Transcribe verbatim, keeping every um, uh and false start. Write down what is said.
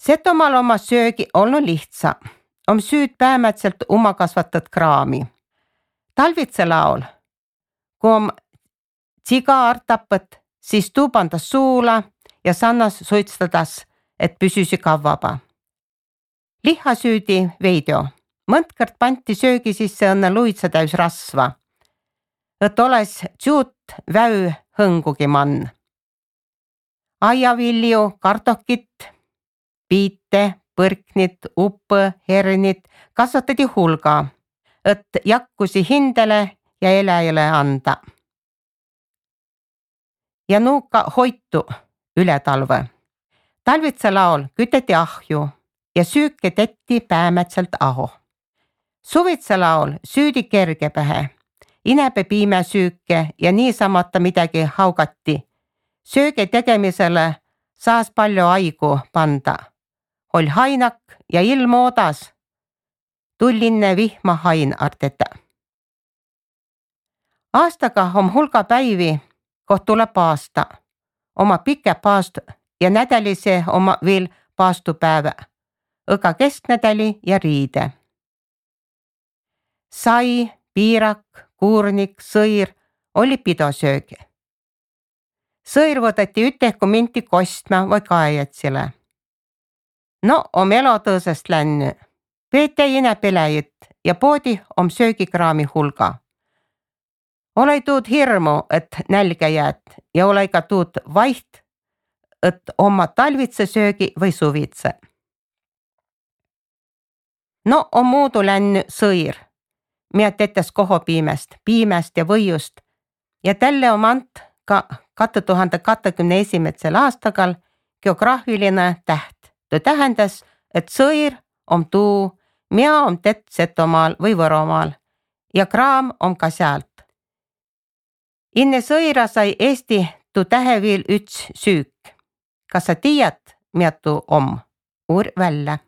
Setomaal oma söögi olnu lihtsa. Om süüd päämätselt oma kasvatat kraami. Talvitsa laul, kui om tsigaar tapet, siis tuu pandas suula ja sannas suitstadas, et püsüsi kavvaba. Lihasüüdi veidio. Mõntkõrd panti söögi sisse õnne luitsa täys rasva. Et oles tsuut väü hõngugi mann. Aiavilju, kartokit, piite, põrknit, upõ, hernit kasvatati hulga, et jakkusi hindele ja eläjale anda. Ja nuuka hoitu üle talve. Talvitsa laul küteti ahju ja süüke tetti päämätselt aho. Suvitsa laul süüdi kerge pähe, inebe piime süüke ja niisamata midagi haugati. Sööge tegemisele saas palju aigu panda. Ol hainak ja ilm oodas. Tullinne vihma hain arteta. Aastaga on hulga päivi, koht tuleb aasta. Oma pike paast ja nädälise oma veel paastupäeva. Õga kesknädäli ja riide. Sai, piirak, kuurnik, sõir oli pidosöögi. Sõir võtati ütehku minti kostma või kaejatsile. No om elotõõsest länny. Peete ine peläjit ja poodi om söögikraami hulga. Olei tuud hirmu, et nälga jäät ja olei ka tuud vaiht, et oma talvitse söögi või suvitse. No on muudu länny sõir, mida tetes koho piimest, piimest ja võiust ja tälle om ant ka kahe tuhande kahekümne esimesel aastagal geograafiline täht. Tuu tähendas, et sõir om tuu, mida om tett Setomaal või Võromaal ja kraam om ka sealt. Inne sõira sai Eesti tuu tähe veel üts süük. Kas sa tiiad, mida tuu om? Uur välja.